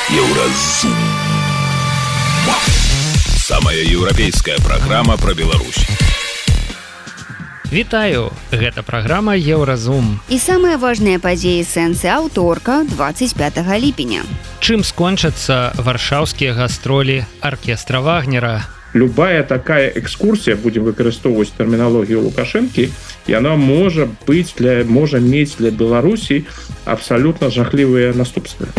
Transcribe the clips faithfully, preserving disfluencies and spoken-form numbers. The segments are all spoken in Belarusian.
Еўразум. Самая еўрапейская праграма пра Беларусь. Вітаю, гэта праграма Еўразум. І самыя важныя падзеі сэнсы аўторка двадцать пятого ліпеня. Чым скончацца варшаўскія гастролі аркестра Вагнера? Любая такая экскурсія, будем выкарыстоўваць тэрміналогію Лукашэнкі, яна можа быць для можа мець для Беларусі абсалютна жахлівыя наступствы.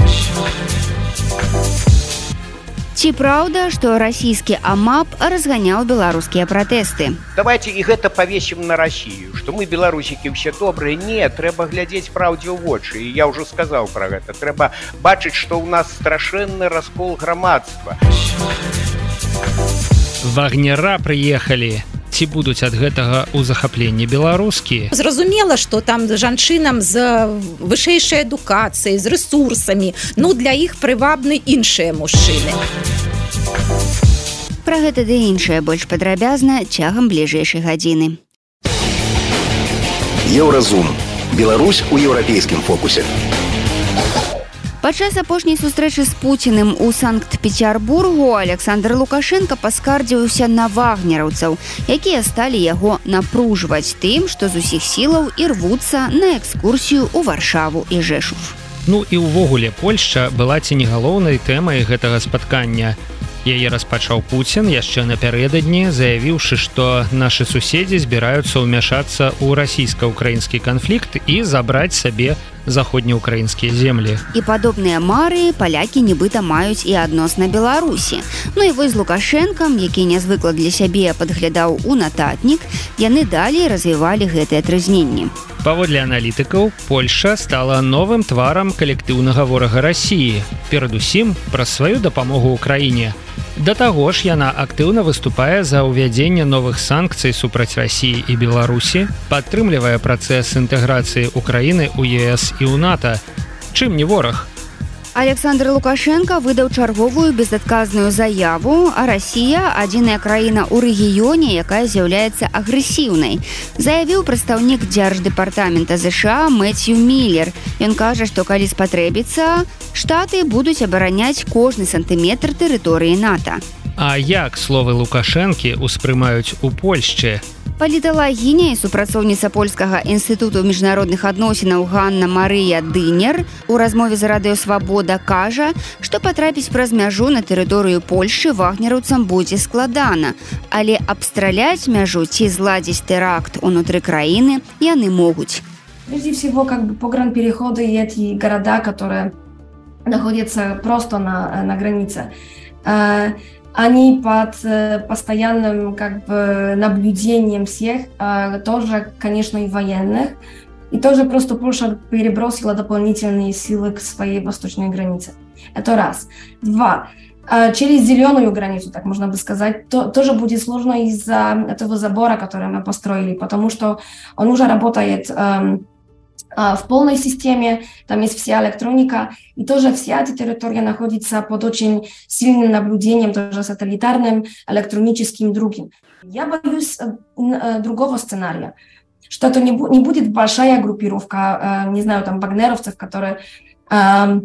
Ці праўда, што расійскі АМАП разганяў беларускія пратэсты? Давайте і гэта павесім на Расію, што мы, беларусікі, ўсе добрыя. Не, трэба глядзець праўдзе ў вочы. І я ўжо сказаў пра гэта. Трэба бачыць, што ў нас страшэнны раскол грамадства. Вагнера прыехалі. Ці будуць ад гэтага ў захапленні беларускі? Зразумела, што там жанчынам з вышэйшай адукацыяй, з рэсурсамі, ну для іх прывабны іншыя мужчыны. Пра гэта ды іншае больш падрабязна цягам бліжэйшай гадзіны. Еўразум. Беларусь у еўрапейскім фокусе. Падчас апошняй сустрэчы з Пуціным у Санкт-Петербургу Александр Лукашенко паскардзіўся на вагнераўцаў, якія сталі яго напружваць тым, што з усіх сілаў і рвуцца на экскурсію ў Варшаву і Жэшув. Ну і ўвогуле Польшча была ці не галоўнай тэмай гэтага спаткання. Яе распачаў Пуцін яшчэ напярэдадні, заявіўшы, што нашы суседзі збіраюцца ўмяшацца ў расійска-ўкраінскі канфлікт і забраць сабе заходнеукраінскія землі. І падобныя мары палякі нібыта маюць і адносна Беларусі. Ну і вось з Лукашэнкам, які нязвыкла для сябе падглядаў у нататнік, яны далей развівалі гэтыя трызненні. Паводле аналітыкаў, Польшча стала новым тварам калектыўнага ворага Расіі, перадусім праз сваю дапамогу ўкраіне. Да таго ж яна актыўна выступае за ўвядзенне новых санкцый супраць Расіі і Беларусі, падтрымлівае працэс інтэграцыі Украіны ў ЕС і ў НАТО. Чым не вораг? Александр Лукашенко выдаў чарговую безадказную заяву, а Расія – адзіная краіна ў рэгіёне, якая з'яўляецца агрэсіўнай. Заявіў прадстаўнік дзярждэпартамента ЗША Мэцью Міллер. Ён кажа, што калі спатрэбіцца, Штаты будуць абараняць кожны сантыметр тэрыторыі НАТО. А як словы Лукашэнкі ўспрымаюць у Польшчы? Паліталагіня і супрацоўніца Польскага інстытуту міжнародных адносінаў Ганна Марыя Дынер у размове з радыё «Свабода» кажа, што патрапіць праз мяжу на тэрыторыю Польшчы вагнераўцам будзе складана, але абстраляць мяжу ці зладзіць тэракт унутры краіны яны могуць. Прежде всего, как бы погранпереходы и эти города, которые находятся просто на, на границе, они под постоянным как бы наблюдением всех, тоже, конечно, и военных. И тоже просто Польша перебросила дополнительные силы к своей восточной границе. Это раз. Два. Через зеленую границу, так можно бы сказать, то, тоже будет сложно из-за этого забора, который мы построили, потому что он уже работает эм, э, в полной системе, там есть вся электроника, и тоже вся эта территория находится под очень сильным наблюдением, тоже сателлитарным, электроническим, другим. Я боюсь э, э, другого сценария, что это не, бу- не будет большая группировка, э, не знаю, там, вагнеровцев, которые... Э,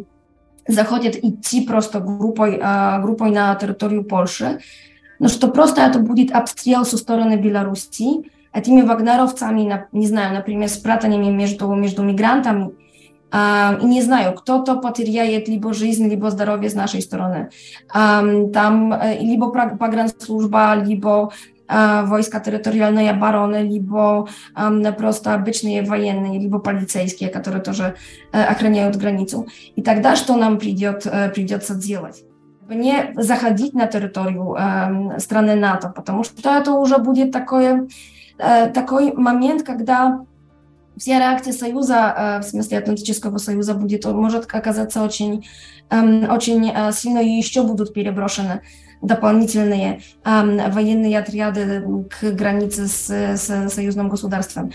заходят идти просто группой, э, группой на территорию Польши, но что просто это будет обстрел со стороны Беларуси этими вагнеровцами, на, не знаю, например, с пратаниями между, между мигрантами. Э, и не знаю, кто-то потеряет либо жизнь, либо здоровье с нашей стороны. Э, там э, либо погранслужба, либо э, войска территориальной обороны, либо э, просто обычные военные, либо полицейские, которые тоже э, охраняют границу. И тогда что нам придет, э, придется делать? Не заходить на территорию э, страны НАТО, потому что это уже будет такое, э, такой момент, когда вся реакция Союза, э, в смысле Атлантического Союза, будет, может оказаться очень, э, очень э, сильно, и еще будут переброшены дополнительные э, военные отряды к границе с, с союзным государством.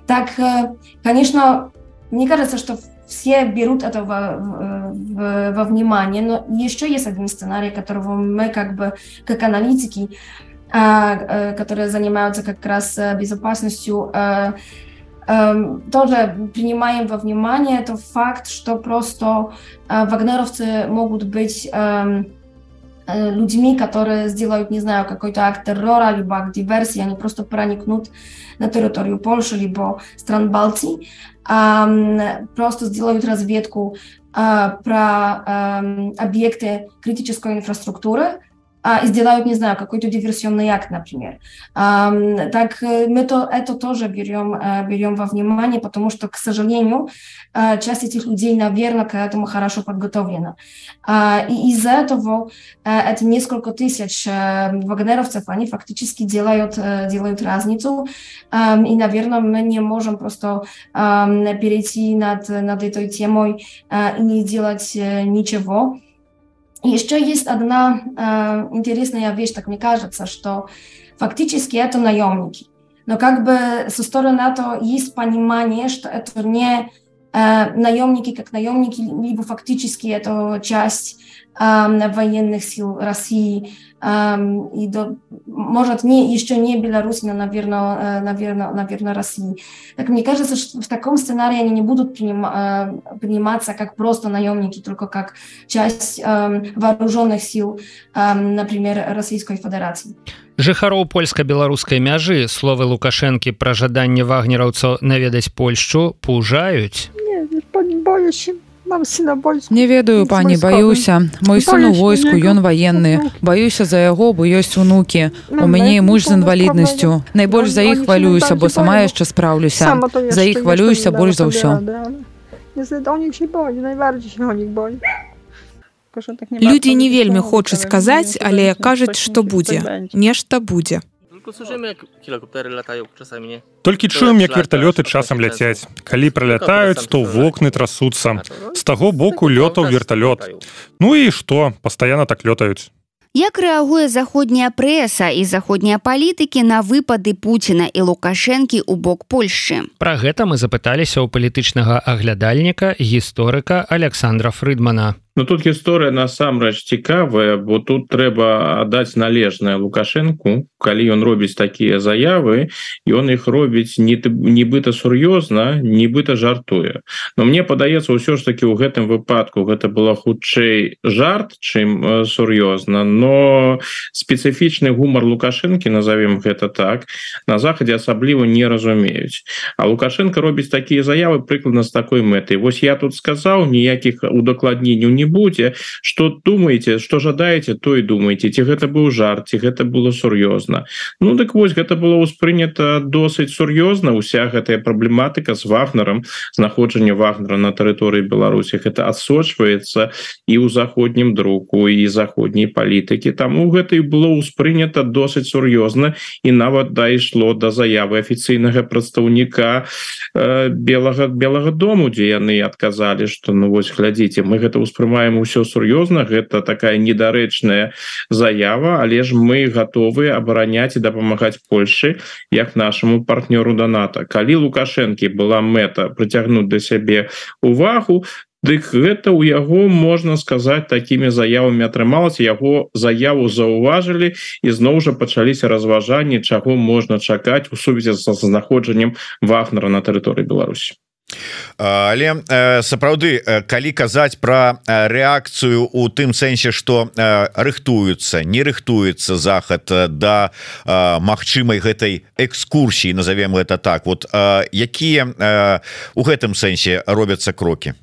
Так, э, конечно, мне кажется, что все берут это во, в, во внимание, но еще есть один сценарий, которого мы как бы, как аналитики, э, э, которые занимаются как раз безопасностью, э, тоже принимаем во внимание тот факт, что просто вагнеровцы могут быть людьми, которые сделают, не знаю, какой-то акт террора, либо акт диверсии, они просто проникнут на территорию Польши, либо стран Балтии, просто сделают разведку про объекты критической инфраструктуры, и сделают, не знаю, какой-то диверсионный акт, например. Так мы то, это тоже берем, берем во внимание, потому что, к сожалению, часть этих людей, наверное, к этому хорошо подготовлена. И из-за этого это несколько тысяч вагнеровцев, они фактически делают, делают разницу. И, наверное, мы не можем просто перейти над, над этой темой и не делать ничего. Еще есть одна э, интересная вещь, так мне кажется, что фактически это наемники. Но как бы со стороны НАТО есть понимание, что это не э, наемники как наемники, либо фактически это часть э, военных сил России. Э, и до, может, не, еще не Беларусь, но, наверное, э, наверное, наверное, России. Так мне кажется, что в таком сценарии они не будут приним, э, приниматься как просто наемники, только как часть э, вооруженных сил, э, например, Российской Федерации. Жыхароў польска-беларускай мяжы словы Лукашэнкі пра жаданне вагнераўцаў наведаць Польшчу пужаюць. Не ведаю, пані, баюся. Мой сын у войску, ён ваенны. Баюся за яго, бо ёсць унукі. У мяне і муж з інваліднасцю. Найбольш за іх хвалююся, бо сама яшчэ спраўлюся. За іх хвалююся больш за ўсё. Людзі не вельмі хочуць казаць, але кажуць, што будзе. Нешта будзе. Толькі чуем, як верталёты часам ляцяць. Калі пралятаюць, то вокны трасуцца. З таго боку лётаў верталёт. Ну і што? Пастаянна так лётаюць. Як рэагуе заходняя прэса і заходнія палітыкі на выпады Пуціна і Лукашэнкі ў бок Польшчы? Пра гэта мы запыталіся ў палітычнага аглядальніка, гісторыка Александра Фрыдмана. Ну тут гісторыя насамрэч цікавая, бо тут трэба аддаць належнае Лукашэнку, калі ён робіць такія заявы, ён іх робіць нібыта сур'ёзна, нібыта жартуе. Но мне падаецца, ўсё ж такі ў гэтым выпадку гэта было хутчэй жарт, чым сур'ёзна, но спецыфічны гумар Лукашэнкі, назовем гэта так, на захадзе асабліва не разумеюць. А Лукашенко робіць такія заявы прыкладна з такой мэтай. Вось я тут сказаў, ніякіх удакладненняў не будзе, што думаеце, што жадаеце, то і думаеце, ці гэта быў жарт, ці гэта было сур'ёзна. Ну дык вось гэта было ўспрынята досыць сур'ёзна, уся гэтая праблематыка з Вагнером, знаходжанне Вагнера на тэрыторыі Беларусі, гэта адсочваецца і ў заходнім друку, і заходняй палітыкі. Таму гэта і было ўспрынята досыць сур'ёзна, і нават дайшло да заявы афіцыйнага прадстаўніка э, белага, белага дому, дзе яны адказалі, што ну вось глядзіце, мы гэта ўспрымаем маем усё сур'ёзна, гэта такая недарэчная заява, але ж мы гатовы абараняць і дапамагаць Польшчы як нашаму партнёру да НАТО. Калі Лукашэнкі была мэта прыцягнуць да сябе увагу, дык гэта ў яго, можна сказаць, такімі заявамі атрымалася, яго заяву заўважылі і зноў жа пачаліся разважанні, чаго можна чакаць у сувязі з знаходжаннем Вагнера на тэрыторыі Беларусі. Але сапраўды, калі казаць пра рэакцыю у тым сэнсе, што рыхтуюцца, не рыхтуецца захад да магчымай гэтай экскурсіі, назовем гэта так, вот якія у гэтым сэнсе робяцца крокі?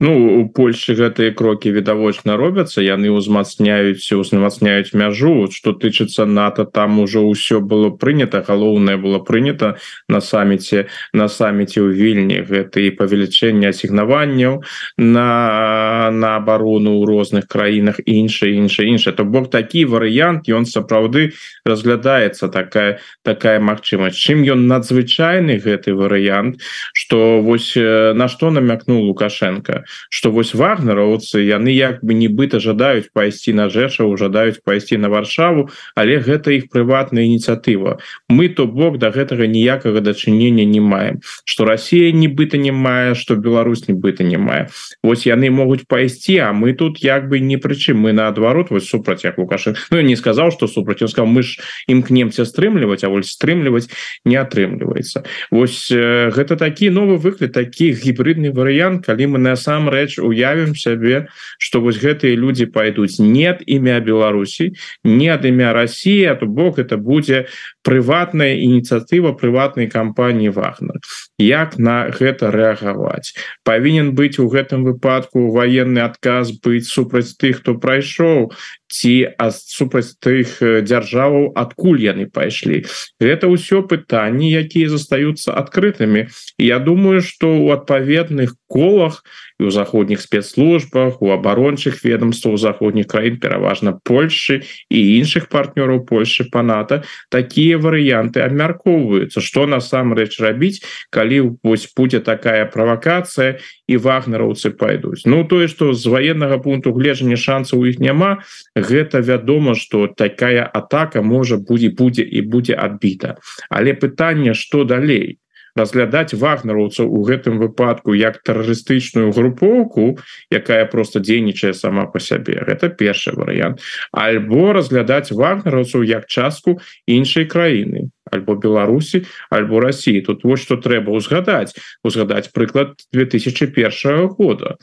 Ну, у Польшчы гэтыя крокі відавочна робяцца, яны ўзмацняюць узмацняюць мяжу. Што тычыцца НАТО, там ужо ўсё было прынята, галоўнае было прынята на саміце на саміце ў Вільні, гэта і павелічэнне асігнаванняў на на абарону ў розных краінах, іншае іншае іншае. То бок такі варыянт, ён сапраўды разглядаецца, такая такая магчымасць. Чым ён надзвычайны гэты варыянт, што вось на што намякнуў Лукашенко. тое что вось вагнераўцы яны як бы нібыта жадаюць пайсці на Жэшаву, жадаюць пайсці на Варшаву, але гэта іх прыватная ініцыятыва. Мы то бок да гэтага ніякага дачынення не маем, што Расія нібыта не мае, што Беларусь нібыта не мае. Вось яны могуць пайсці, а мы тут як бы не прычым, мы наадварот вось супраць як Лукашенко. Ну я не сказаў, што супраць, ён сказаў, мы ж імкнемся стрымліваць, а вось стрымліваць не атрымліваецца. Вось э, гэта такі новы выклад, такі гібридны варыянт, калі мы насамрэч уявім сябе, што вось гэтыя людзі пайдуць не ад імя Беларусі, не ад імя России, а то бок это будзе прыватная ініцыятыва прыватнай кампаніі Вагнер. Як на гэта рэагаваць? Павінен быць у гэтым выпадку военны адказ быць супраць тых, хто прайшоў, ці супраць тых дзяржаваў, адкуль яны пайшлі. Гэта ўсё пытанні, якія застаюцца адкрытымі. І я думаю, што ў адпаведных колах і ў заходніх спецслужбах, у абарончых ведомствах заходніх краін, пераважна Польшчы і іншых партнёраў Польшчы па НАТО, такія варыянты абмяркоўваюцца, што насамрэч рабіць, калі вось будзе такая правакацыя і вагнераўцы пайдуць. Ну тое, што з военнага пункту гледжання шансаў у іх няма, гэта вядома, што такая атака можа будзе будзе і будзе адбіта. Але пытанне, што далей? Разглядаць вагнераўцаў у гэтым выпадку як тэрарыстычную групоўку, якая просто дзейнічае сама по сябе. Гэта першы варыянт. Альбо разглядаць вагнераўцаў як частку іншай краіны, альбо Беларусі, альбо России. Тут вот што трэба узгадаць. Узгадаць прыклад две тысячи первого года.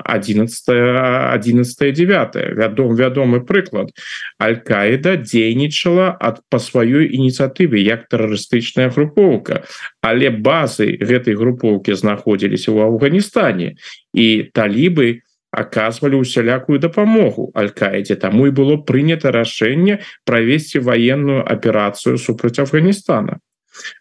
одиннадцатое девятое. Вядом, вядомы прыклад. Аль-Каіда дзейнічала ад па сваёй ініцыятыве як тэрарыстычная групоўка, але базы гэтай групоўкі знаходзіліся ў Афганістане, і талібы аказвалі усялякую дапамогу Аль-Каідзе. Таму і было прынята рашэнне правесці военную аперацыю супраць Афганістана.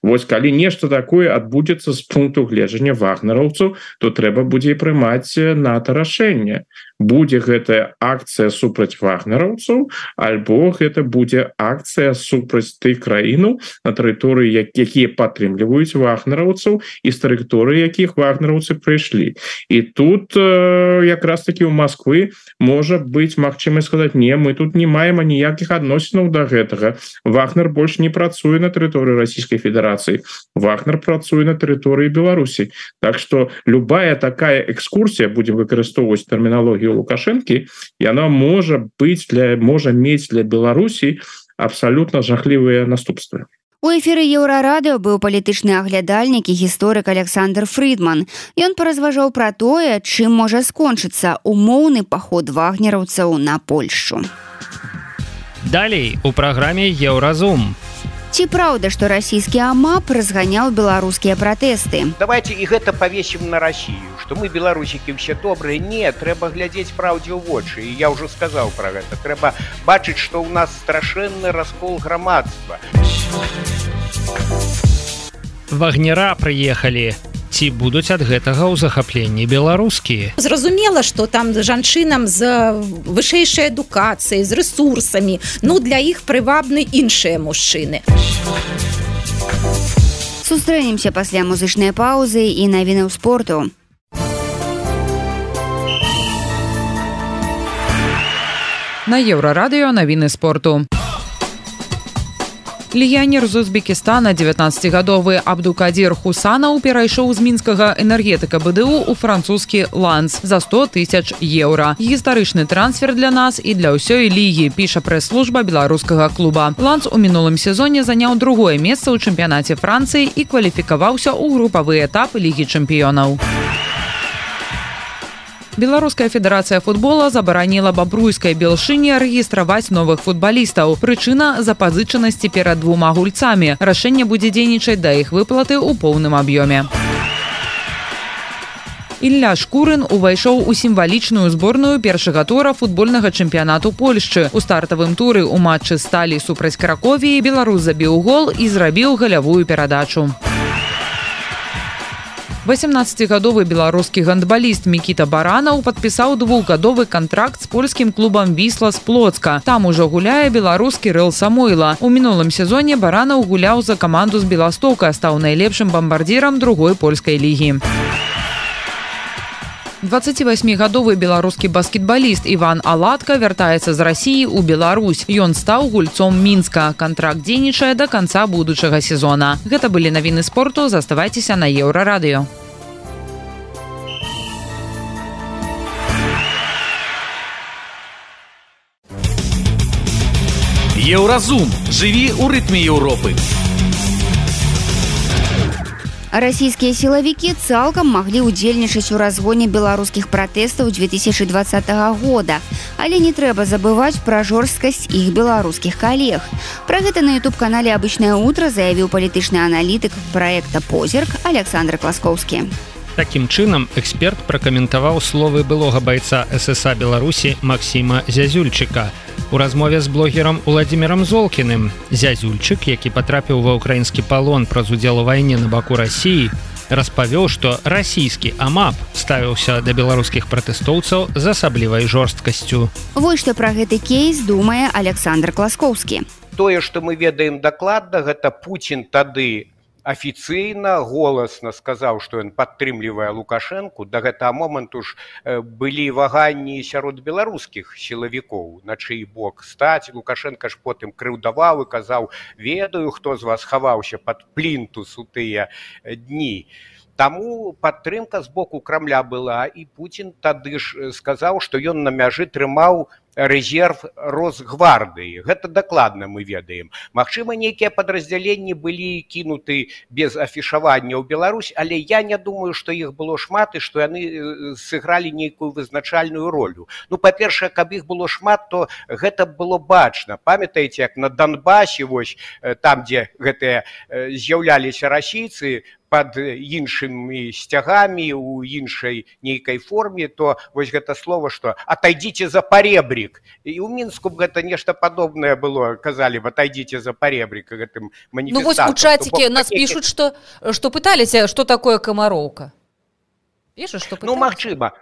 Вось калі нешта такое адбудзецца з пункту гледжання вагнераўцаў, то трэба будзе прымаць НАТО рашэнне. Будзе гэтая акцыя супраць вагнераўцаў, альбо гэта будзе акцыя супраць тых краінаў, на тэрыторыі якія падтрымліваюць вагнераўцаў і з тэрыторыі якіх вагнераўцы прыйшлі. І тут э, якраз таки ў Москвы можа быць магчымасць сказаць: не, мы тут не маем ніякіх адносінаў да гэтага. Вагнер больш не працуе на тэрыторыі Расійскай Федерацыі. Вагнер працуе на тэрыторыі Беларусі. Так што любая такая экскурсія, будзем выкарыстоўваць тэрміналогію Лукашэнкі, яна можа быць для можа мець для Беларусі абсалютна жахлівыя наступствы. У эфіры Еўрарадыо быў палітычны аглядальнік і гісторык Александр Фридман. Ён паразважаў пра тое, чым можа скончыцца умоўны паход вагнераўцаў на Польшчу. Далей у праграме Еўразум. Ці праўда, што расійскі АМАП разганяў беларускія пратэсты? Давайте і гэта павесім на Россию, што мы беларусікі ўсе добрыя. Не, трэба глядзець праўдзе ў вочы, і я ўжо сказаў пра гэта. Трэба бачыць, што ў нас страшэнны раскол грамадства. Вагнера прыехалі. Ці будуць ад гэтага ў захапленні беларускія? Зразумела, што там жанчынам з вышэйшай адукацыяй, з рэсурсамі, ну для іх прывабны іншыя мужчыны. Сустрэнемся пасля музычнай паўзы і навінаў спорту. На Еўрарадыо навіны спорту. Легіянер з Узбекістана, дзевятнаццацігадовы Абдукадзір Хусанаў перайшоў з мінскага энергетыка БДУ ў французскі Ланс за сто тысяч еўра. Гістарычны трансфер для нас і для ўсёй лігі, піша прэс-служба беларускага клуба. Ланс у мінулым сезоне заняў другое месца ў чэмпіянаце Францыі і кваліфікаваўся ў групавы этап Лігі чэмпіёнаў. Беларуская федэрацыя футбола забараніла бабруйскай Белшыне рэгістраваць новых футбалістаў. Прычына запазычанасці перад двума гульцамі. Рашэнне будзе дзейнічаць да іх выплаты ў поўным аб'ёме. Ілля Шкурын увайшоў у сімвалічную зборную першага тура футбольнага чэмпіянату Польшчы. У стартавым туры ў матчы Сталі супраць Краковіі беларус забіў гол і зрабіў галявую перадачу. восемнаццацігадовы беларускі гандбаліст Мікіта Баранаў падпісаў двухгадовы кантракт з польскім клубам Вісла з Плоцка. Там ужо гуляе беларускі Рэл Самойла. У мінулым сезоне Баранаў гуляў за каманду з Беластока, стаў найлепшым бамбардзірам другой польскай лігі. дваццацівасьмігадовы беларускі баскетбаліст Іван Аладка вяртаецца з Расіі ў Беларусь. Ён стаў гульцом Мінска. Кантракт дзейнічае да канца будучага сезона. Гэта былі навіны спорту. Заставайцеся на Еўрарадыё. Еўразум. Жыві ў рытме Еўропы. Расійскія сілавікі цалкам маглі ўдзельнічаць у разгоне беларускіх пратэстаў две тысячи двадцатого года, але не трэба забываць пра жорсткасць іх беларускіх калег. Пра гэта на ютуб-канале «Обычное утро» заявіў палітычны аналітык праекта «Позірк» Александр Класкоўскі. Такім чынам, эксперт пракаментаваў словы былога байца эс эс а Беларусі Максіма Зязюльчыка. У размове з блогерам Уладзімірам Золкіным Зязюльчык, які патрапіў ва ўкраінскі палон праз удзел у вайне на баку Расіі, распавёў, што расійскі АМАП ставіўся да беларускіх пратэстоўцаў з асаблівай жорсткасцю. Вось што пра гэты кейс думае Александр Класкоўскі. Тое, што мы ведаем дакладна, гэта Пуцін тады афіцыйна, голасна сказаў, што ён падтрымлівае Лукашэнку. Да гэтага моманту ж былі ваганні сярод беларускіх сілавікоў, на чый бок стаць. Лукашенка ж потым крыўдаваў і казаў: ведаю, хто з вас хаваўся пад плінтус у тыя дні. Таму падтрымка з боку Крамля была, і Пуцін тады ж сказаў, што ён на мяжы трымаў рэзерв Росгвардыі. Гэта дакладна мы ведаем. Магчыма, нейкія падраздзяленні былі кінуты без афішавання ў Беларусь, але я не думаю, што іх было шмат і што яны сыгралі нейкую вызначальную ролю. Ну, па-першае, каб іх было шмат, то гэта было бачна. Памятаеце, як на Донбасе, вось там, дзе гэтыя з'яўляліся расійцы, пад іншымі сцягамі, у іншай нейкай форме, то вось гэта слово, што «атайдзіце за паребрік». І ў Мінску гэта нешта падобнае было, казалі «атайдзіце за паребрік» гэтым маніфестантам. Ну вось у чатике нас пишут, что, что пытались, что такое Комароўка. Пишут, что пытались? Ну, магчыма.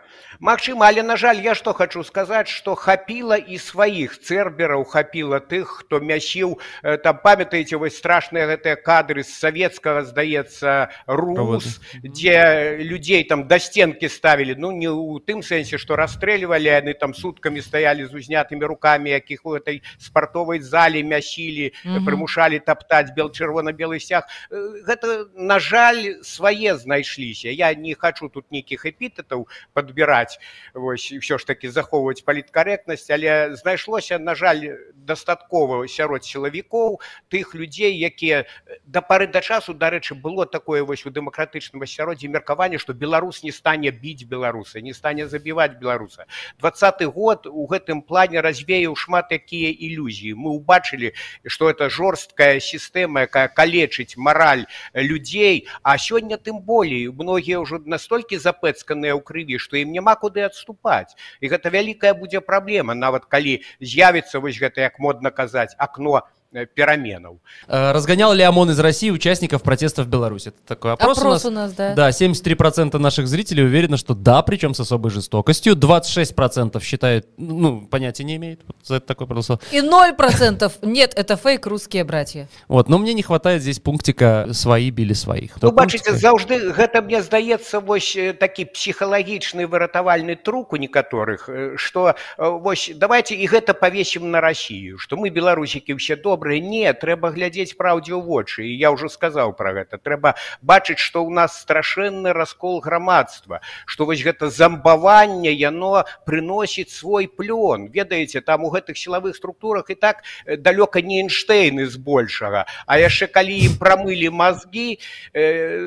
Магчыма, але, на жаль, я што хачу сказаць, што хапіла і сваіх цэрбераў, хапіла тых, хто мясіў, там, памятаеце, вось страшныя гэтыя кадры з савецкага, здаецца, Рус, дзе людзей там да стенкі ставілі, ну, не ў тым сэнсе, што расстрэльвалі, яны там суткамі стаялі з узнятымі рукамі, якіх у гэтай спартовай зале мясілі, mm-hmm. прымушалі таптаць бел-чырвона-белы сцяг. Гэта, на жаль, свае знайшліся. Я не хачу тут нейкіх эпітэтаў падбіраць, вось, ўсё ж такі захоўваць паліткарэктнасць, але знайшлося, на жаль, дастаткова сярод сілавікоў тых людзей, якія да пары да часу, дарэчы, было такое вось у дэмакратычным асяроддзі меркаванне, што беларус не стане біць беларуса, не стане забіваць беларуса. дваццаты год у гэтым плане развеяў шмат якія ілюзіі. Мы ўбачылі, што это жорсткая сістэма, якая калечыць мараль людзей, а сёння тым болей. Многія ўжо настолькі запэцканыя ў крыві, што ім няма куды адступаць. І гэта вялікая будзе праблема, нават калі з'явіцца вось гэта, як модна казаць, акно переменов. Разгонял ли ОМОН из России участников протестов в Беларуси? Это такой опрос, опрос у нас. у нас, да. Да, семьдесят три процента наших зрителей уверены, что да, причем с особой жестокостью. двадцать шесть процентов считают, ну, понятия не имеют. Вот за это такой проголосовал. И ноль процентов нет, это фейк, русские братья. Вот, но мне не хватает здесь пунктика «свои били своих». Ну, бачите, заўжды гэта, мне здаецца, вось такі психалагічны выратавальны трук у некаторых, што вось давайте і гэта павесім на Россию, што мы, беларусікі, ўсе добрыя. Не, трэба глядзець праўдзе ў вочы, і я ўжо сказаў пра гэта. Трэба бачыць, што ў нас страшэнны раскол грамадства, што вось гэта замбаванне, яно прыносіць свой плён. Ведаеце, там у гэтых сілавых структурах і так далёка не Эйнштэйны збольшага, а яшчэ калі ім прамылі мазгі,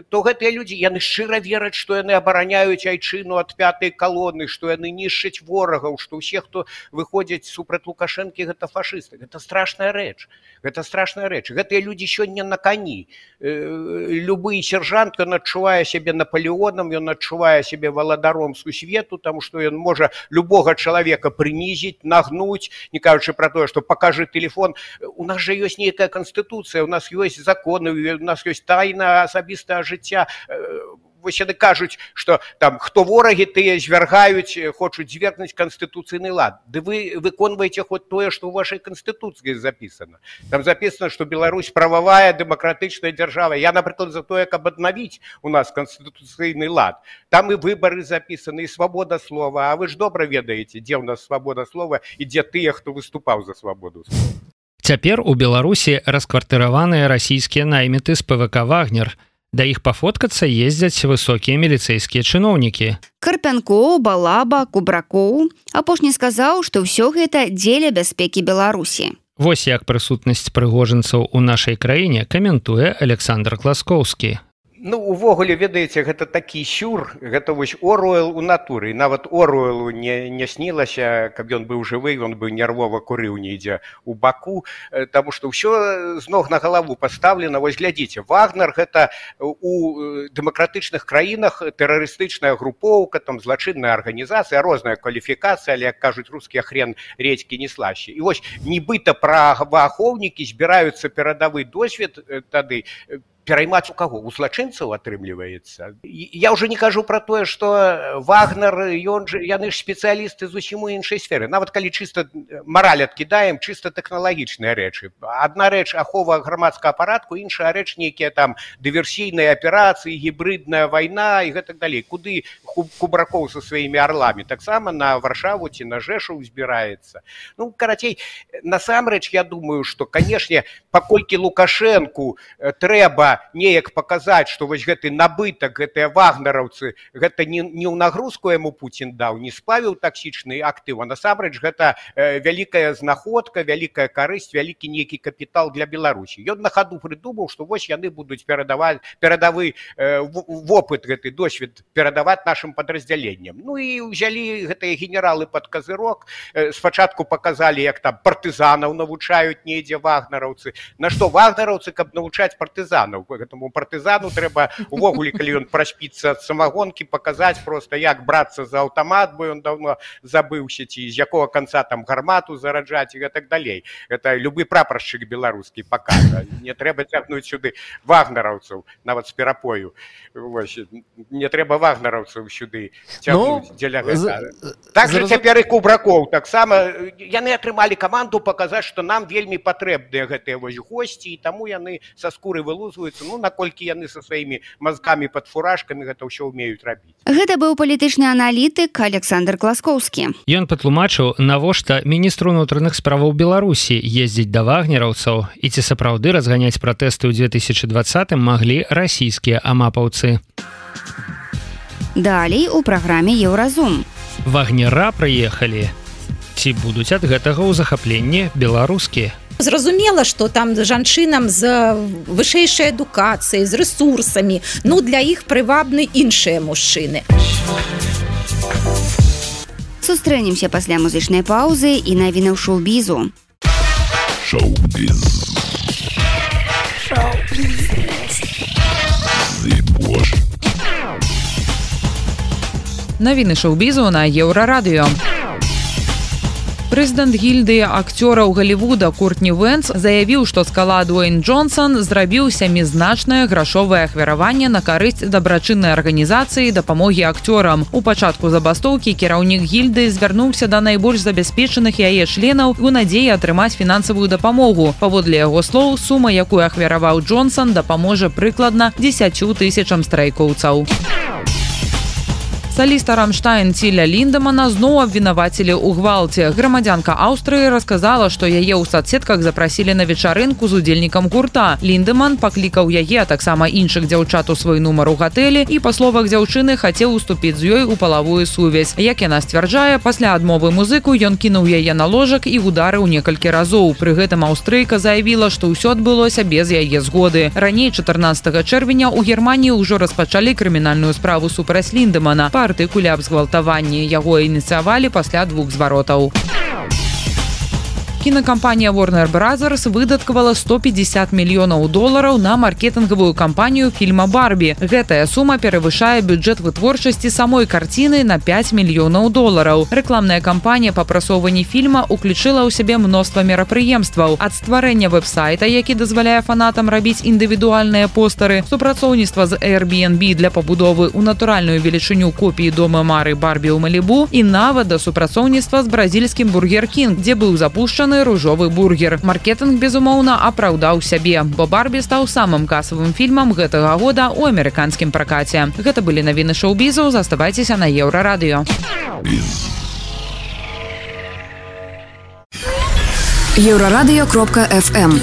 то гэтыя людзі, яны шчыра вераць, што яны абараняюць айчыну ад пятай калоны, што яны нішчаць ворагаў, што ўсе, хто выходзяць супраць Лукашэнкі, гэта фашысты. Гэта страшная рэч. Гэта страшная рэч. Гэтыя людзі сёння на кані. Любы сержант, ён адчувае сябе Наполеонам, ён адчувае сябе валадаром сусвету, таму што ён можа любога чалавека прынізіць, нагнуць, не кажучы пра тое, што пакажы тэлефон. У нас жа ёсць нейкая канстытуцыя, у нас ёсць законы, у нас ёсць тайна асабістага жыцця. вось яны кажуць, што там хто ворагі, тыя звяргаюць, хочуць звергнуць канстытуцыйны лад. Ды вы выконваеце хоць тое, што ў вашай канстытуцыі запісана. Там запісана, што Беларусь прававая, дэмакратычная дзяржава. Я, напрыклад, за тое, каб аднавіць у нас канстытуцыйны лад. Там і выбары запісаны, і свабода слова. А вы ж добра ведаеце, дзе ў нас свабода слова і дзе тыя, хто выступаў за свабоду слова. Цяпер у Беларусі раскватыраваныя расійскія найміты з пэ вэ ка «Вагнер». Да іх пафоткацца ездзяць высокія міліцэйскія чыноўнікі. Карпянкоў, Балаба, Кубракоў. Апошні сказаў, што ўсё гэта дзеля бяспекі Беларусі. Вось як прысутнасць прыгожанцаў у нашай краіне каментуе Александр Класкоўскі. Ну, увогуле, ведаеце, гэта такі сюр, гэта вось Оруэл у натуры. І нават Оруэлу не, не снілася, каб ён быў жывы, ён бы нервова курыў недзе у баку, таму што ўсё з ног на галаву пастаўлена. Вось глядзіце, Вагнер гэта у дэмакратычных краінах тэрарыстычная групоўка, там злачынная арганізацыя, розная кваліфікацыя, але, як кажуць рускія, хрен редзькі не слаще. І вось нібыта праваахоўнікі збіраюцца перадавы досвед тады пераймаць у каго? У злачынцаў атрымліваецца. Я ўжо не кажу пра тое, што Вагнер, ён ж, яны ж спецыялісты зусім у іншай сферы. Нават калі чыста мараль адкідаем, чыста тэхналагічныя рэчы. Адна рэч ахова грамадскага парадку, іншая рэч нейкія там дыверсійныя аперацыі, гібридная вайна і гэтак далей. Куды Кубракоў са сваімі арламі? Таксама на Варшаву ці на Жэшу збіраецца. Ну, карацей, насамрэч, я думаю, што, канешне, паколькі Лукашэнку трэба неяк паказаць, што вось гэты набытак, гэтыя вагнераўцы, гэта не, не ў нагрузку яму Пуцін даў, не спавіў таксічны актыў, а насамрэч гэта э, вялікая знаходка, вялікая карысць, вялікі нейкі капітал для Беларусі. Ён на хаду прыдумаў, што вось яны будуць перадаваць, перадавы э, вопыт, гэты досвед перадаваць нашым падраздзяленням. Ну і ўзялі гэтыя генералы пад казырок, э, спачатку паказалі, як там партызанаў навучаюць недзе вагнераўцы. На што вагнераўцы, каб навучаць партызанаў? Гэтаму партызану трэба увогуле, калі ён праспіцца ад самагонкі, паказаць проста, як брацца за аўтамат, бо ён даўно забыўся, ці з якога канца там гармату зараджаць і гэтак далей. Гэта любы прапаршчык беларускі пакажа. Не трэба цягнуць сюды вагнераўцаў, нават з перапою. Вось, не трэба вагнераўцаў сюды цягнуць ну, дзеля гэта. Так жа цяпер і Кубракоў. Таксама яны атрымалі каманду паказаць, што нам вельмі патрэбныя гэтыя вось госці, і таму яны са скуры вылузваюцца. Ну, наколькі яны са сваімі мазгамі пад фуражкамі гэта ўсё ўмеюць рабіць. Гэта быў палітычны аналітык Александр Класкоўскі. Ён патлумачыў, навошта міністру ўнутраных справаў Беларусі ездзіць да вагнераўцаў і ці сапраўды разганяць пратэсты ў две тысячы двадцатым маглі расійскія амапаўцы. Далей у праграме Еўразум. Вагнера прыехалі. Ці будуць ад гэтага ў захапленні беларускі? Зразумела, што там жанчынам з вышэйшай адукацыяй, з рэсурсамі, ну, для іх прывабны іншыя мужчыны. Сустрэнемся пасля музычнай паўзы і навінаў шоу-бізу. Шоу-біз. Навіны шоу-бізу на Еўрарадыё. Прэзідэнт гільдыі акцёраў Галівуда Куртні Вэнс заявіў, што скала Дуэйн Джонсон зрабіў сямізначнае грашовае ахвяраванне на карысць дабрачыннай арганізацыі дапамогі акцёрам. У пачатку забастоўкі кіраўнік гільдыі звярнуўся да найбольш забяспечаных яе членаў у надзеі атрымаць фінансавую дапамогу. Паводле яго слоў, сума, якую ахвяраваў Джонсон, дапаможа прыкладна дзесяцю тысячам страйкоўцаў. Саліста Рамштайн Ціля Ліндемана зноў абвінавацілі ў гвалце. Грамадзянка Аўстрыі расказала, што яе ў садсетках запрасілі на вечарынку з удзельнікам гурта. Ліндеман паклікаў яе, а таксама іншых дзяўчат у свой нумар у гатэлі і, па словах дзяўчыны, хацеў уступіць з ёй у палавую сувязь. Як яна сцвярджае, пасля адмовы музыку ён кінуў яе на ложак і ударыў некалькі разоў. Пры гэтым аўстрыйка заявіла, што ўсё адбылося без яе згоды. Раней чатырнаццатага чэрвеня ў Германіі ўжо распачалі крымінальную справу супраць Ліндемана па артыкуле аб згвалтаванні. Яго ініцыявалі пасля двух зваротаў. Кінакампанія Warner Brothers выдаткавала сто пятьдесят мільёнаў долараў на маркетынгавую кампанію фільма «Барбі». Гэтая сума перавышае бюджэт вытворчасці самой карціны на пять мільёнаў долараў. Рэкламная кампанія па прасоўванні фільма уключыла ў сябе мноства мерапрыемстваў. Ад стварэння вэб-сайта, які дазваляе фанатам рабіць індывідуальныя постары, супрацоўніцтва з Airbnb для пабудовы ў натуральную велічыню копіі дома мары Барбі ў Малібу і нават да супрацоўніцтва з бразільскім Бургер Кінг, дзе быў запушчаны ружовы бургер. Маркетынг, безумоўна, апраўдаў сябе, бо Барбі стаў самым касавым фільмам гэтага года ў амерыканскім пракаце. Гэта былі навіны шоу-бізу, заставайцеся на Еўрарадыё. Еўрарадыё кропка эф эм.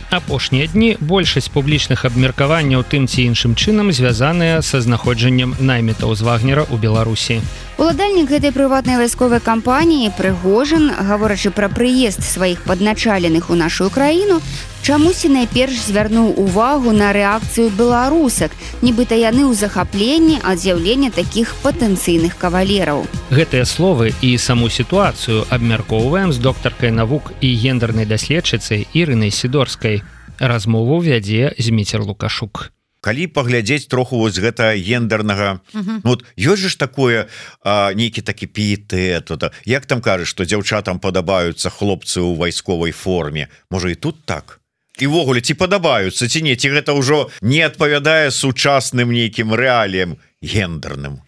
Апошнія дні большасць публічных абмеркаванняў тым ці іншым чынам звязаныя са знаходжаннем наймітаў з Вагнера ў Беларусі. Уладальнік гэтай прыватнай вайсковай кампаніі Прыгожин, гаворачы пра прыезд сваіх падначаленых у нашу краіну, чамусьці найперш звярнуў увагу на рэакцыю беларусак, нібыта яны ў захапленні ад з'яўлення такіх патэнцыйных кавалераў. Гэтыя словы і саму сітуацыю абмяркоўваем з доктаркай навук і гендернай даследчыцай Ірынай Сідорскай. Размову вядзе Зміцер Лукашук. Калі паглядзець троху вось гэта гендернага, uh-huh. ну, ёсць же ж такое а, нейкі такі піетэт, як там кажаш, што дзяўчатам падабаюцца хлопцы ў вайсковай форме, можа і тут так? І ввогуле ці падабаюцца, ці не, ці гэта ўжо не адпавядае сучасным нейкім рэаліям гендерным?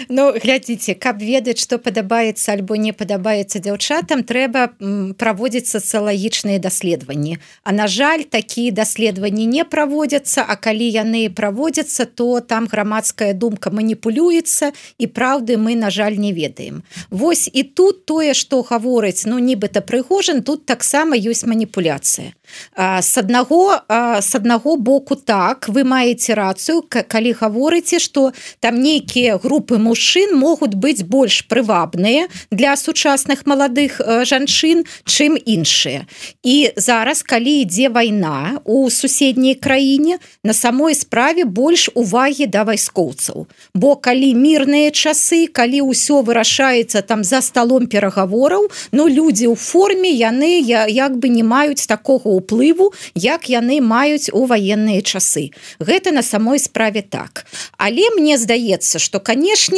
Ну, глядзіце, каб ведаць, што падабаецца альбо не падабаецца дзяўчатам, трэба праводзіць сацыялагічныя даследаванні. А на жаль, такія даследаванні не праводзяцца, а калі яны праводзяцца, то там грамадская думка маніпулюецца, і праўды мы, на жаль, не ведаем. Вось і тут тое, што гаворыць, ну, нібыта Прыгожин, тут таксама ёсць маніпуляцыя. С аднаго, с аднаго боку так, вы маеце рацыю, калі гаворыце, што там нейкія групы мужчын могуць быць больш прывабныя для сучасных маладых жанчын, чым іншыя. І зараз, калі ідзе вайна у суседняй краіне, на самой справе больш увагі да вайскоўцаў. Бо калі мірныя часы, калі ўсё вырашаецца там за сталом перагавораў, ну, людзі ў форме, яны як бы не маюць такога ўплыву, як яны маюць у ваенныя часы. Гэта на самой справе так. Але мне здаецца, што, канешне,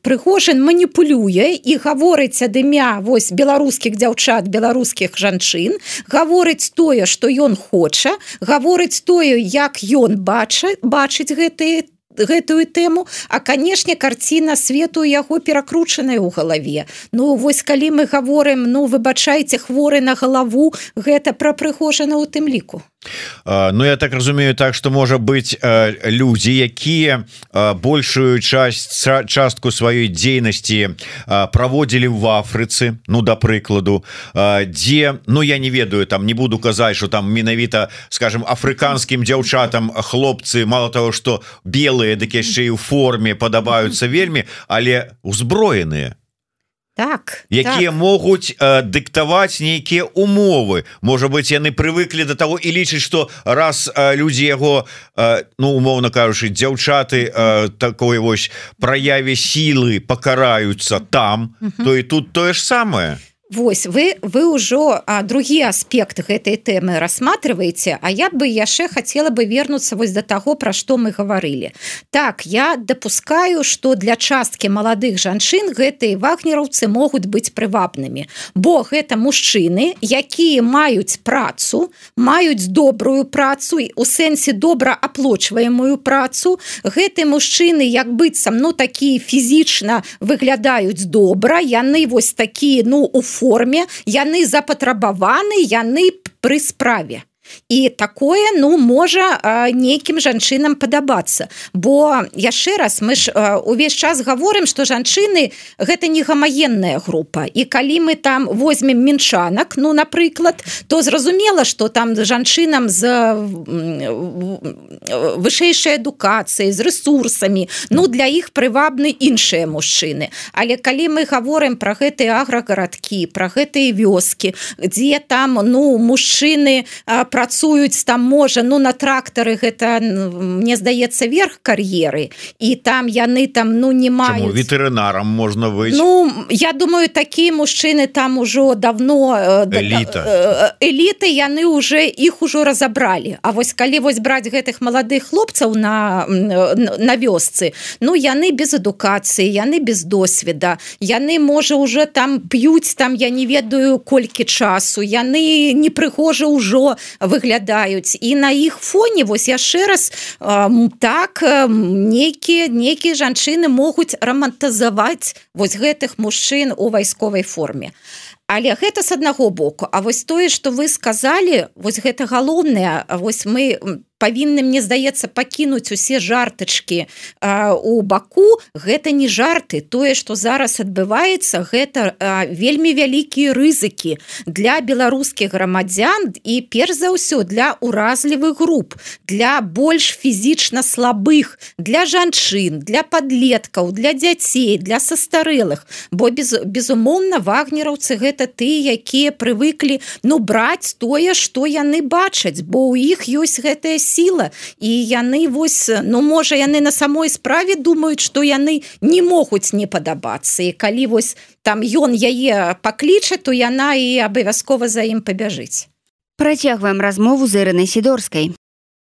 Прыгожин маніпулюе і гаворыць ад імя вось беларускіх дзяўчат, беларускіх жанчын, гаворыць тое, што ён хоча, гаворыць тое, як ён бачыць, бачыць гэтыя гэтую тэму, а, канешне, карціна свету яго перакручаная ў галаве. Ну, вось калі мы гаворым, ну, выбачайце, хворы на галаву, гэта пра Прыгожина ў тым ліку. Ну, я так разумею так, што можа быць людзі, якія большую часть, частку сваёй дзейнасці праводзілі в Афрыцы, ну, да прыкладу, дзе, ну, я не ведаю, там не буду казаць, што там менавіта, скажем, афрыканскім дзяўчатам хлопцы, мало того, што белыя, дык яшчэ і ў форме падабаюцца вельмі, але узброеныя. Так, якія так. могуць э, дыктаваць нейкія умовы. Можа быть, яны прывыклі да таго і лічаць, што раз э, людзі яго, э, ну, умоўна кажучы, дзяўчаты э, такой вось праяве сілы пакараюцца там, uh-huh. то і тут тое ж самае. Вось, вы, вы ўжо а, другі аспект гэтай тэмы рассматриваеце, а я бы яшчэ хацела бы вернуцца вось да таго, пра што мы гаварылі. Так, я дапускаю, што для часткі маладых жанчын гэтыя вагнераўцы могуць быць прывабнымі, бо гэта мужчыны, якія маюць працу, маюць добрую працу, у сэнсе добра аплочваемую працу. Гэтыя мужчыны, як быццам, ну, такія фізічна выглядаюць добра, яны вось такія, ну, у форме, яны запатрабаваны, яны пры справе. І такое, ну, можа нейкім жанчынам падабацца. Бо, яшчэ раз, мы ж увесь час гаворым, што жанчыны гэта не гамагенная група. І калі мы там возьмем мінчанак, ну, напрыклад, то зразумела, што там жанчынам з вышэйшай адукацыяй, з рэсурсамі, ну, для іх прывабны іншыя мужчыны. Але калі мы гаворым пра гэтыя аграгарадкі, пра гэтыя вёскі, дзе там, ну, мужчыны працуюць там можа ну на трактары гэта мне здаецца верх кар'еры і там яны там ну не маюць ветэрынарам можна выйти ну я думаю такія мужчыны там ужо давно эліта эліты яны уже іх ужо разабралі А вось калі вось браць гэтых маладых хлопцаў на на вёсцы ну яны без адукацыі яны без досведа яны можа уже там п'юць там я не ведаю колькі часу яны непрыгожа ўжо выглядаюць і на іх фоне вось яшчэ раз так нейкія нейкія жанчыны могуць рамантазаваць вось гэтых мужчын у вайсковай форме але гэта з аднаго боку А вось тое што вы сказалі вось гэта галоўнае вось мы павінны мне здаецца пакінуць усе жартачкі а, у баку гэта не жарты тое што зараз адбываецца гэта а, вельмі вялікія рызыкі для беларускіх грамадзян і перш за ўсё для уразлівых груп для больш фізічна слабых для жанчын для падлеткаў для дзяцей для састарэлых бо без, безумоўна вагнераўцы гэта ты якія прывыклі ну браць тое што яны бачаць бо ў іх ёсць гэтая сіла і яны вось ну можа яны на самой справе думаюць што яны не могуць не падабацца і калі вось там ён яе пакліча то яна і абавязкова за ім пабяжыць Працягваем размову з Ірынай Сідорскай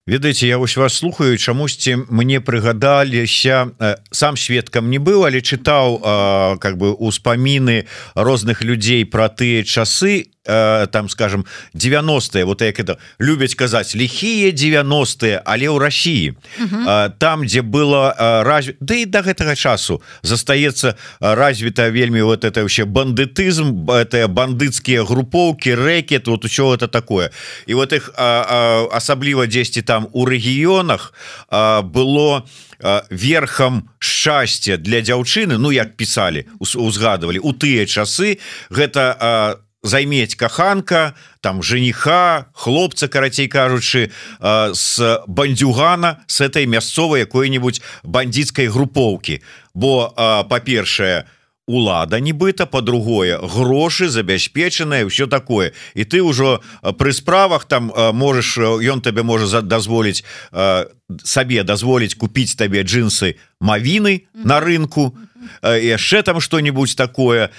Ведаеце, я вось вас слухаю, чамусьці мне прыгадаліся, сам сведкам не быў, але чытаў как бы успаміны розных людзей пра тыя часы, там скажем девяностые вот як это любяць казаць лихие девяностые але ў России uh-huh. там где было разве да и до гэтага часу застаецца развіта вельмі вот это вообще бандытызм это бандыцкія групоўки рэкет вот усё это такое і вот их асабліва дзесьці там у рэгіёнах было верхам шчасця для дзяўчыны ну як писали узгадывали у тыя часы гэта займець каханка там жениха хлопца карацей кажучы с бандюгана с этой мясцовай якой-нибудь бандитской групоўки бо па-першае улада нібыта по-другое грошы забяспечаныя все такое і ты ўжо пры справах там можешь ён табе можа дазволіць сабе дазволіць купіць табе джинсы мавіны на рынку яшчэ там что-нибудь такое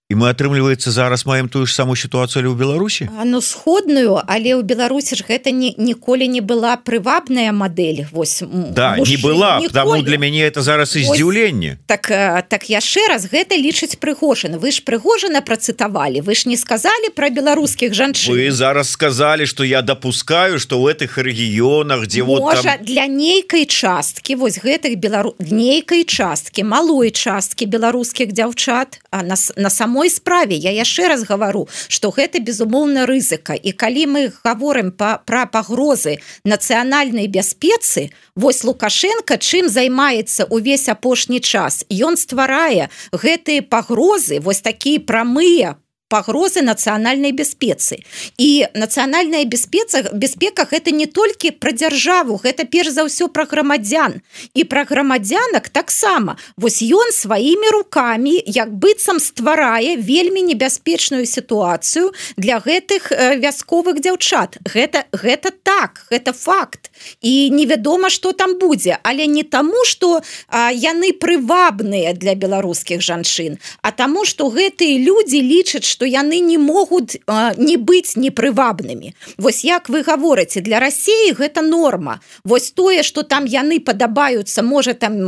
і мы атрымліваецца зараз маем тую ж самую сітуацыю ў Беларусі ну сходную але ў Беларусі ж гэта не ніколі не была прывабная мадэль вось да мужчын, не была потому для мяне это зараз і здзіўленне так так яшчэ раз гэта лічыць прыгожана вы ж прыгожана працытавалі вы ж не сказалі пра беларускіх жанчын вы зараз сказалі што я допускаю што ў гэтых рэгіёнах дзе вот можа там... для нейкай часткі вось гэтых белару нейкай часткі малой часткі беларускіх дзяўчат а на, на самой справе я яшчэ раз гавару што гэта безумоўна рызыка і калі мы гаворым па, пра пагрозы нацыянальнай бяспецы вось Лукашенко чым займаецца увесь апошні час ён стварае гэтыя пагрозы вось такія прамыя пагрозы нацыянальнай бяспецы і нацыянальная бяспеца бяспека гэта не толькі пра дзяржаву гэта перш за ўсё пра грамадзян і пра грамадзянак таксама вось ён сваімі рукамі як быццам стварае вельмі небяспечную сітуацыю для гэтых вясковых дзяўчат гэта гэта так гэта факт і невядома што там будзе але не таму што а, яны прывабныя для беларускіх жанчын а таму што гэтыя людзі лічаць што яны не могуць а, не быць непрывабнымі. Вось як вы гаворыце, для Расіі гэта норма. Вось тое, што там яны падабаюцца, можа там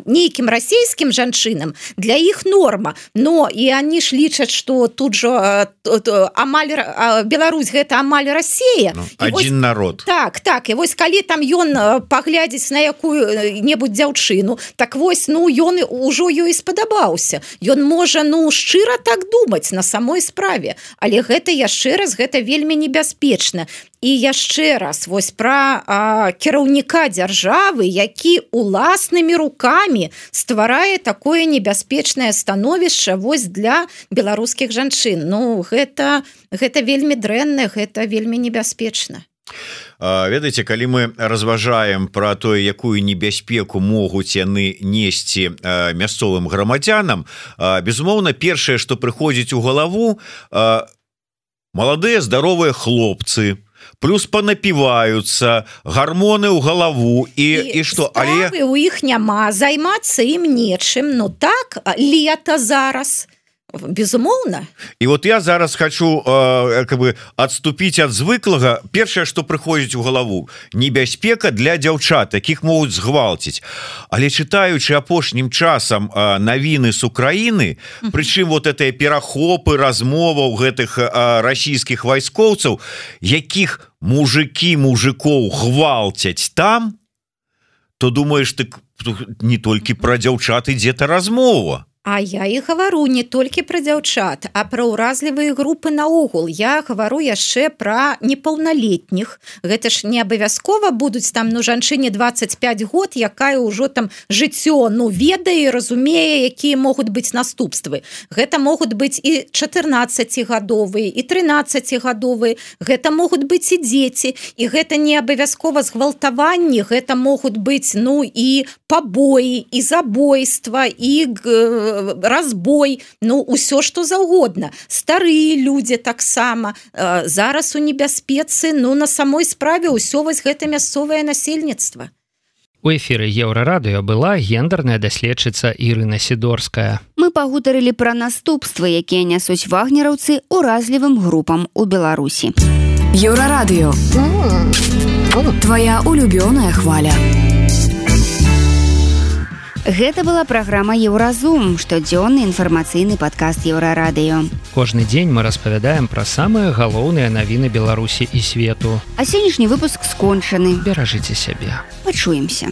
нейкім расійскім жанчынам, для іх норма. Но і они ж лічаць, што тут жа амаль Беларусь гэта амаль Расія. Ну, один вось, народ. Так, так. І вось калі там ён паглядзіць на якую-небудзь дзяўчыну, так вось, ну, ён ужо ёй спадабаўся. Ён можа, ну, шчыра так думаць на самой справе, але гэта яшчэ раз гэта вельмі небяспечна. І яшчэ раз вось пра а, кіраўніка дзяржавы, які уласнымі рукамі стварае такое небяспечнае становішча вось для беларускіх жанчын. Ну гэта гэта вельмі дрэнна, гэта вельмі небяспечна. Ведаеце, калі мы разважаем пра тое, якую небяспеку могуць яны несці мясцовым грамадзянам, безумоўна, першае, што прыходзіць у галаву, маладыя здаровыя хлопцы, плюс панапіваюцца гармоны ў галаву і і што, але у іх няма, займацца ім нечым. Ну так, лета зараз, безумоўна. І вот я зараз хочу э, как бы адступіць ад звыклага. Першае, што прыходзіць у галаву, небяспека для дзяўчат, якіх могуць згвалціць. Але чытаючы апошнім часам э, навіны з Украіны, прычым вот гэтыя перахопы размоваў гэтых э, расійскіх вайскоўцаў, якіх мужики мужикоў гвалцяць там, то думаеш, ты не толькі пра дзяўчат ідзе-то размова. А я і гавару не толькі пра дзяўчат, а пра ўразлівыя групы наогул. Я гавару яшчэ пра непаўналетніх. Гэта ж не абавязкова будуць там, ну, жанчыне двадцать пять год, якая ўжо там жыццё, ну, ведае, разумее, якія могуць быць наступствы. Гэта могуць быць і чатырнаццацігадовыя, і трынаццацігадовыя. Гэта могуць быць і дзеці. І гэта не абавязкова згвалтаванні. Гэта могуць быць, ну, і пабоі, і забойства, і разбой, ну, усё, што заўгодна. Старыя людзі таксама. Зараз у небяспецы, ну, на самой справе ўсё вось гэта мясцовае насельніцтва. У эфіры Еўрарадыё была гендерная даследчыца Ірына Сідорская. Мы пагутарылі пра наступствы, якія нясуць вагнераўцы уразлівым групам у Беларусі. Еўрарадыё. Твая улюбёная хваля. Гэта была праграма «Еўразум», штодзённы інфармацыйны падкаст Еўрарадыё. Кожны дзень мы распавядаем пра самыя галоўныя навіны Беларусі і свету. А сённяшні выпуск скончаны. Беражыце сябе. Пачуемся.